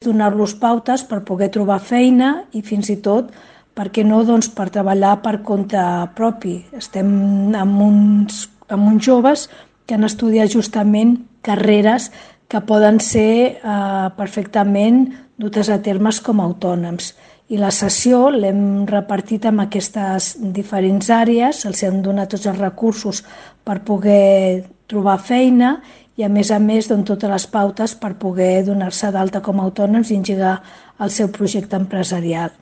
donar-los pautes per poder trobar feina i fins i tot, per què no, doncs, per treballar per compte propi. Estem amb uns joves que han estudiat justament carreres que poden ser perfectament dutes a termes com a autònoms. I la sessió l'hem repartit en aquestes diferents àrees, els hem donat tots els recursos per poder trobar feina i a més, doncs, totes les pautes per poder donar-se d'alta com a autònoms i engegar el seu projecte empresarial.